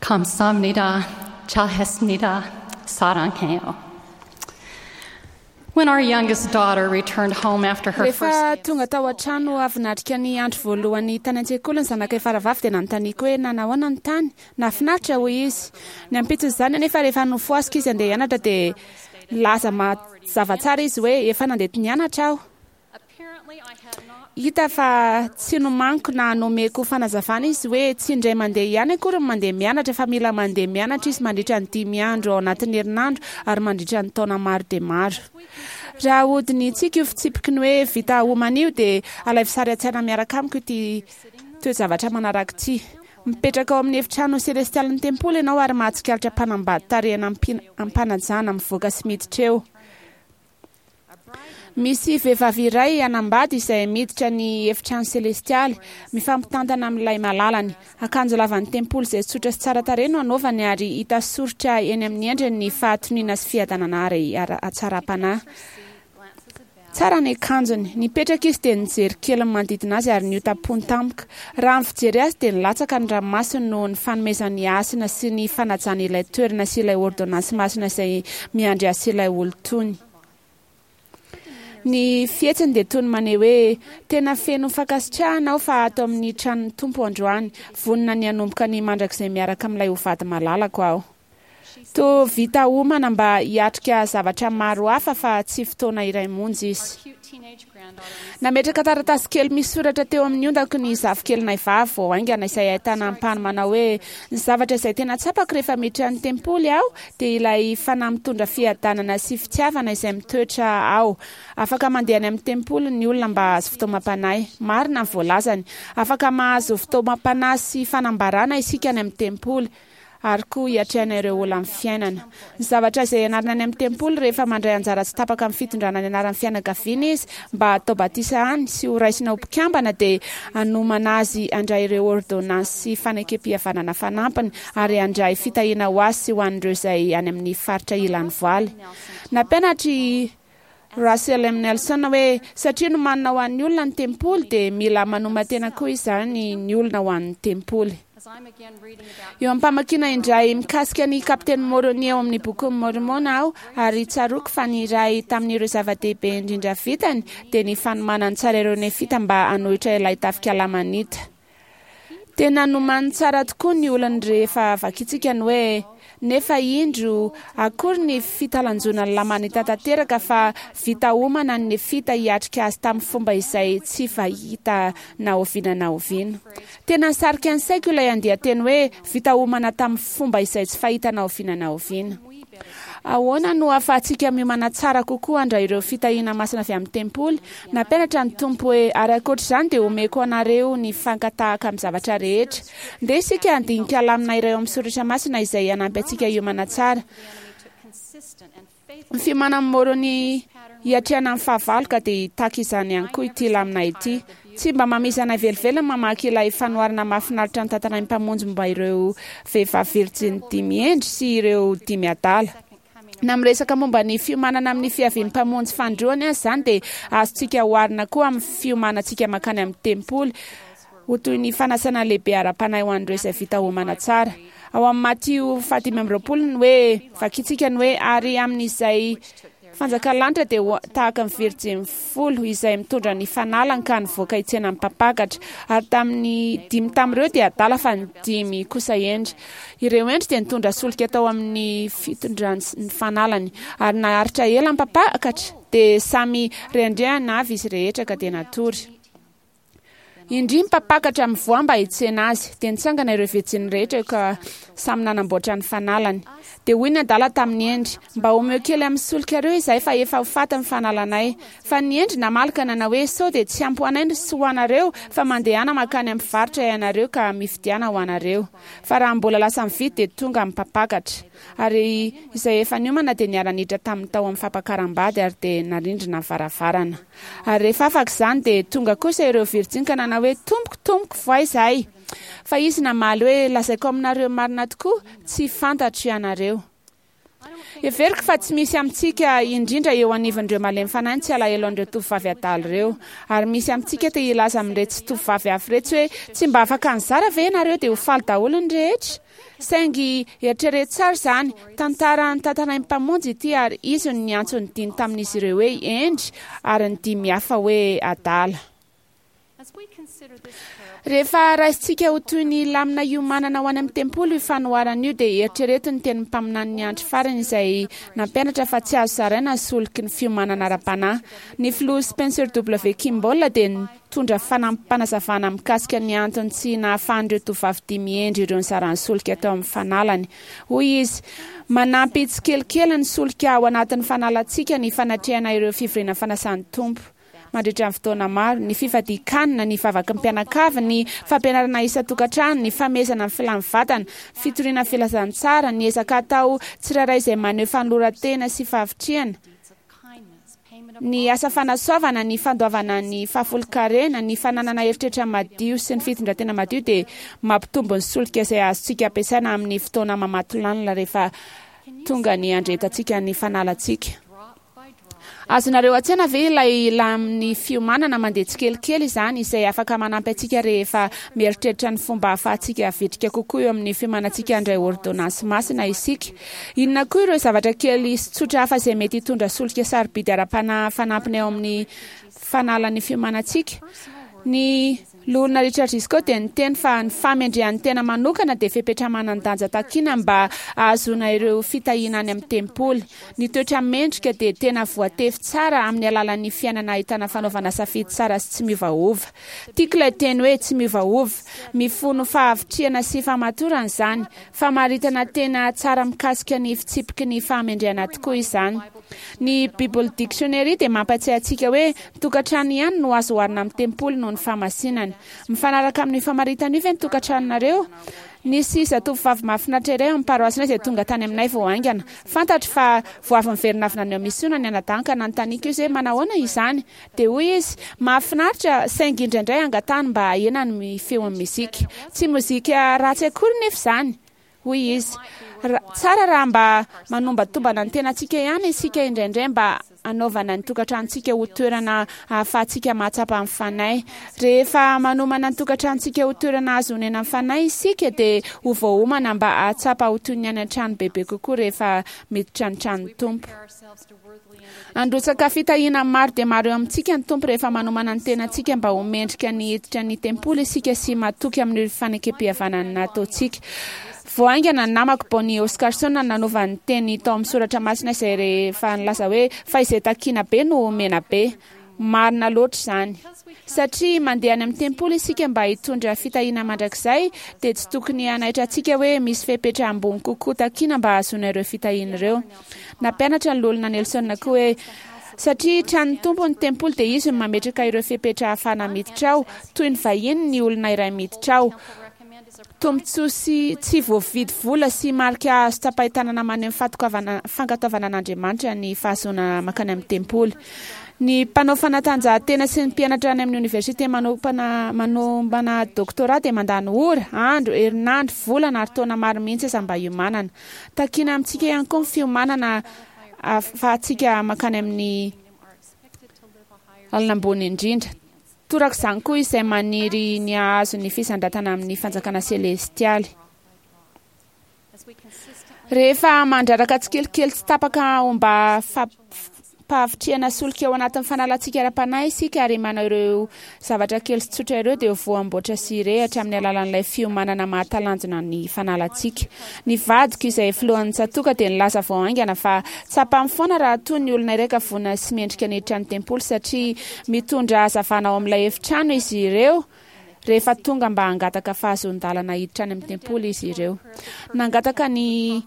감사합니다. 잘했습니다. 사랑해요. When our youngest daughter returned home after her Rehefa first day of tonga tao an-trano avy natrika ny andro voalohany tany an-tsekoly ny zanakay faravavy dia nanontaniako hoe nanahoana ny tany. Nahafinaritra hoy izy. Ny ampitson'izany anefa rehefa nofohaziko izy handeha hianatra dia nilaza mazava tsara izy hoe efa nandeha nianatra aho. Hita fa tsy nomaniko na nomeko fanazavana izy hoe tsy indray mandeha ihany akory ny mandeha mianatra fa mila mandeha mianatra izy mandritra ny dimy andro ao anatin'ny herinandro ary mandritra ny taona maro dia maro. Raha hodinihintsika io fitsipiky ny hoe vita homana io dia alaivo sary an-tsaina miaraka amiko ity toe-javatra manaraka ity. Mipetraka ao amin'ny efitrano selestialin'ny tempoly ianao ary mahatsikaritra mpanambady tarehina am-panajana mivoaka sy miditra eo. Misy vehivavy iray hanambady izay miditra ny efitrano selestialy, mifampitantana amin'ilay malalany. Akanjo lavan'ny tempoly izay tsotra sy tsara tarehy no anaovany ary hita soritra eny amin'ny endriny ny fahatoniana sy fiadanana ary hatsaram-panahy. Tsara ny akanjony. Nipetraka izy dia nijery kely ny manodidina azy ary niotam-pony tampoka. Raha ny fijery azy dia nilatsaka ny ranomasony noho ny fanomezany hasina sy ny fanajany ilay toerana sy ilay ôrdônansy masina izay miandry azy sy ilay olon-tony. Ny fihetsiny dia toy ny maneho hoe, Tena feno fankasitrahana aho fa ato amin'ny tranon'ny Tompo androany, vonona ny hanomboka ny mandrakizay miaraka amin'ilay ho vady malalako aho. Toa vita omana mba hiatrika zavatra maro hafa fa tsy fotoana iray monja izy. Nametraka taratasy kely misy soratra teo amin'ny ondako ny zafikelinay vavy vao haingana izay ahitana ampahany manao hoe, Ny zavatra izay tena tsapako rehefa miditra ny tempoly aho dia ilay fanahy mitondra fiadanana sy fitiavana izay mitoetra ao. Afaka mandeha any amin'ny tempoly ny olona mba hahazo fitaomam-panahy. Marina ny voalazany. Afaka mahazo fitaomam-panahy sy fanambarana isika any amin'ny tempoly. ary koa hiatrehana ireo olan'ny fiainana. Ny zavatra izay ianarana any amin'ny tempoly rehefa mandray anjara tsy tapaka amin'ny fitondrana ny anaran'ny fianakaviana izy mba hatao batisa any sy ho raisina ho mpikambana dia hanomana azy handray ireo ôrdônansy sy fanekempihavanana fanampiny ary handray fitahiana ho azy sy ho an'ireo izay any amin'ny faritra ilan'ny voaly. Nampianatra i Russell M. Nelson hoe, Satria nomanina ho an'ny olona ny tempoly, dia mila manoman-tena koa izany ny olona ho an'ny tempoly. Eo am-pamakiana indray mikasika ny Kapiteny Môrônia ao amin'ny Bokin'i Môrmôna aho, ary tsaroako fa ny iray tamin'ireo zava-dehibe indrindra vitany dia ny fanomanany tsara ireo Nefita mba hanohitra ilay tafika Lamanita. Tena nomaniny tsara tokoa ny olany rehefa vakintsika ny hoe, Nefa indro, akory ny fitalanjonan'ny Lamanita tanteraka fa vita omana ny Nefita hiatrika azy tamin'ny fomba izay tsy fahita na oviana na oviana. Tena nisarika ny saiko ilay andian-teny hoe vita omana tamin'ny fomba izay tsy fahita na oviana na oviana. Ahoana no ahafahantsika miomana tsara kokoa handray ireo fitahiana masina avy amin'ny tempoly? Nampianatra ny Tompo hoe, Ary ankoatra izany dia homeko anareo ny fankatahaka amin'ny zavatra rehetra. Ndeha isika handinika lamina iray ao amin'ny soratra masina izay hanampy antsika hiomana tsara. Ny fiomanan'i Môrônia hiatrehana ny fahavalo ka dia hitaky izany ihany koa ity lamina ity. Tsy mba mamizana velively ny mamaky ilay fanoharana mahafinaritra notantarain'ny Mpamonjy momba ireo vehivavy virjiny dimy hendry sy ireo dimy adala. Na miresaka momba ny fiomanana amin'ny fiavian'ny Mpamonjy fanindroany aza izany dia azontsika oharina koa amin'ny fiomanantsika mankany amin'ny tempoly ho toy ny fanasana lehibe ara-panahy ho an'ireo izay vita omana tsara. Ao amin'ny Matio fahadimy amby 20 ny hoe, vakintsika ny hoe, ary amin'izay Fanjakan'ny lanitra dia ho tahaka ny virjiny folo izay mitondra ny fanalany ka nivoaka hitsena ny mpampakatra. Ary tamin'ny dimy tamin'ireo dia adala fa ny dimy kosa hendry. Ireo hendry dia nitondra solika tao amin'ny fitondrany ny fanalany. Ary naharitra ela ny mpampakatra, dia samy rehandrehana avy izy rehetra ka dia natory. Indry ny mpampakatra mivoaha mba hitsena azy. Dia nitsangana ireo virjiny rehetra ka samy nanamboatra ny fanalany. Dia hoy ny adala tamin'ny hendry, Mba omeo kely amin'ny solikareo izahay fa efa ho faty ny fanalanay. Fa ny hendry namaly ka nanao hoe, Sao dia tsy ampy ho anay sy ho anareo, fa mandehana mankany amin'ny mpivarotra ianareo ka mividiana ho anareo. Fa raha mbola lasa mividy dia tonga ny mpampakatra. Ary izay efa niomana dia niara-niditra taminy tao amin'ny fampakaram-bady ary dia narindrina ny varavarana. Ary rehefa afaka izany, dia tonga kosa ireo virjiny ka nanao hoe, Tompoko, tompoko, voay izahay. Fa izy namaly hoe, Lazaiko aminareo marina tokoa, tsy fantatro ianareo. Heveriko fa tsy misy amintsika, indrindra eo anivon'ireo malemy fanahy ny tsy alahelo an'ireo tovovavy adala ireo. Ary misy amintsika te hilaza amin'iretsy tovovavy hafa iretsy hoe, Tsy mba afaka nizara ve ianareo dia ho faly daholo ny rehetra? Saingy eritrereto tsara izany, tantara notantarain'ny Mpamonjy ity ary Izy no niantso ny dimy tamin'izy ireo hoe hendry ary ny dimy hafa hoe adala. Rehefa raisintsika ho toy ny lamina iomanana ho any amin'ny tempoly io fanoharana io, dia eritrereto ny tenin'ny mpaminanin'ny andro farany izay nampianatra fa tsy azo zaraina ny soliky ny fiomanana ara-panahy. Ny Filoha Spencer W. Kimball dia nitondra fanampim-panazavana mikasika ny antony tsy nahafahan'ireo tovovavy dimy hendry ireo nizara ny solika tao amin'ny fanalany. Hoy izy, Manampy tsikelikely ny solika ao anatin'ny fanalantsika ny fanatrehana ireo fivoriana fanasan'ny Tompo. mandritra ny fotoana maro, ny fifadian-kanina, ny vavaky ny mpianakavy, ny fampianarana isan-tokantrano, ny famehezana ny filan'ny vatana, fitoriana ny filazantsara, ny ezaka atao tsirairay izay maneho fanoloran-tena sy fahavitrihana, ny asa fanasoavana, ny fandoavana ny fahafolonkarena, ny fananana eritreritra madio sy ny fitondran-tena madio dia mampitombo ny solika izay azontsika ampiasaina amin'ny fotoana mamatolanina rehefa tonga ny handrehetantsika ny fanalantsika. Azonareo an-tsaina ve ilay lamin'ny fiomanana mandeha tsikelikely izany izay afaka manampy antsika rehefa mieritreritra ny fomba ahafahantsika vitrika kokoa eo amin'ny fiomanantsika handray ôrdônansy masina isika? Inona koa ireo zavatra kely sy tsotra hafa izay mety hitondra solika sarobidy ara-panahy fanampiny ao amin'ny fanalan'ny fiomanantsika? Ny Loholona Richard Gisco dia niteny fa ny fahamendrehan'ny tena manokana dia fepetra manan-danja takina mba hahazoana ireo fitahiana any amin'ny tempoly. Ny toetra mendrika dia tena voatefy tsara amin'ny alalan'ny fiainana ahitana fanaovana safidy tsara sy tsy miovaova. Tiako ilay teny hoe tsy miovaova. Mifono fahavitrihana sy fahamatorana izany. Famaritana tena tsara mikasika ny fitsipiky ny fahamendrehana tokoa izany. Ny Bible Dictionary dia mampatsiahy antsika hoe ny tokantrano ihany no azo oharina amin'ny tempoly noho ny fahamasinany. Mifanaraka amin'io famaritana io ve ny tokantranonareo? Nisy zatovovavy mahafinaritra iray ao amin'ny paroasinay izay tonga tany aminay vao haingana. Fantatro fa vao avy niverina avy naneho misiona ny anadahiny ka nanontaniako izy hoe manahoana izany. Dia hoy izy, Mahafinaritra, saingy indraindray angatahany mba hahena ny feon'ny mozika. Tsy mozika ratsy akory nefa izany. Hoy izy, Tsara raha mba manombatombana ny tenantsika ihany isika indraindray mba hanaovana ny tokantranontsika ho toerana ahafahantsika mahatsapa ny Fanahy. Rehefa manomana ny tokantranontsika ho toerana azo onenan'ny Fanahy isika dia ho voaomana mba hahatsapa ho toy ny any an-trano bebe kokoa rehefa miditra ny tranon'ny Tompo. Handrotsaka fitahiana maro dia maro eo amintsika ny Tompo rehefa manomana ny tenantsika mba ho mendrika ny hiditra ny tempoly isika sy matoky amin'ireo fanekempihavanana nataontsika. Vao haingana ny namako Bonnie Oscarson nanova ny teny tao amin'ny soratra masina izay rehefa nilaza hoe fa izay takiana be no omena be. Marina loatra izany. Satria mandeha any amin'ny tempoly isika mba hitondra fitahiana mandrakizay, dia tsy tokony hanaitra antsika hoe misy fepetra ambony kokoa takiana mba hahazoana ireo fitahiana ireo. Nampianatra ny Loholona Nelson koa hoe, Satria tranon'ny Tompo ny tempoly dia Izy no mametraka ireo fepetra ahafahana miditra ao, toy ny vahiny ny olona iray miditra ao. Tombontsoa sy tsy voavidy vola sy marika azo tsapain-tanana maneho ny fahatokavana fankatoavana an'Andriamanitra ny fahazoana mankany amin'ny tempoly. Ny mpanao fanatanjahantena sy ny mpianatra any amin'ny oniversite manompana manombana doctorat dia mandany ora, andro, herinandro, volana ary taona maro mihitsy aza mba hiomanana. Takiana amintsika ihany koa ny fiomanana ahafahantsika mankany amin'ny lalana ambony indrindra. Toraka izany koa izay maniry ny hahazo ny fisandratana amin'ny fanjakana selestialy. Rehefa mandraraka tsikelikely tsy tapaka homba fampahavitrihana solika ao anatin'ny fanalantsika ara-panahy isika ary manao ireo zavatra kely sy tsotra ireo dia ho voamboatra sy hirehitra amin'ny alalan'ilay fiomanana mahatalanjona ny fanalantsika. Ny vadiko izay filohan'ny tsatòka dia nilaza vao haingana fa tsapany foana raha toa ny olona iray ka vonona sy mendrika ny hiditra ny tempoly satria mitondra hazavana ao amin'ilay efitrano izy ireo rehefa tonga mba hangataka fahazoan-dalana hiditra any amin'ny tempoly izy ireo. Nangataka an'i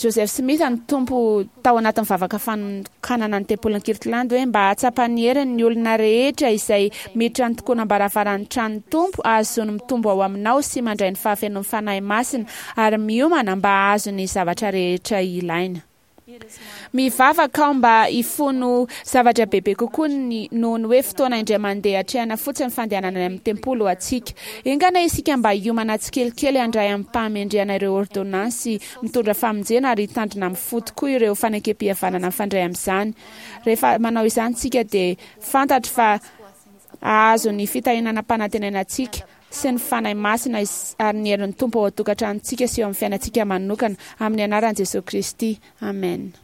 Joseph Smith ny Tompo tao anatin'ny vavaka fanokanana ny tempolin'i Kirtland hoe mba hahatsapa ny heriny ny olona rehetra izay miditra ny tokonam-baravaran'ny tranon'ny Tompo hahazoany mitombo ao aminao sy mandray ny fahafenoan'ny Fanahy Masina ary miomana mba hahazo ny zavatra rehetra ilaina. Mivavaka aho mba hifono zavatra bebe kokoa ny noho ny hoe fotoana indray mandeha atrehana fotsiny ny fandehanana any amin'ny tempoly ho antsika. Enga anie isika mba hiomana tsikelikely handray amim-pahamendrehana ireo ôrdônansy mitondra famonjena ary hitandrina amin'ny fo tokoa ireo fanekempihavanana mifandray amin'izany. Rehefa manao izany isika dia fantatro fa hahazo ny fitahiana nampanantenaina antsika sy ny Fanahy Masina ary ny herin'ny Tompo ao an-tokantranontsika sy eo amin'ny fiainantsika manokana, amin'ny anaran'i Jesoa Kristy, amena.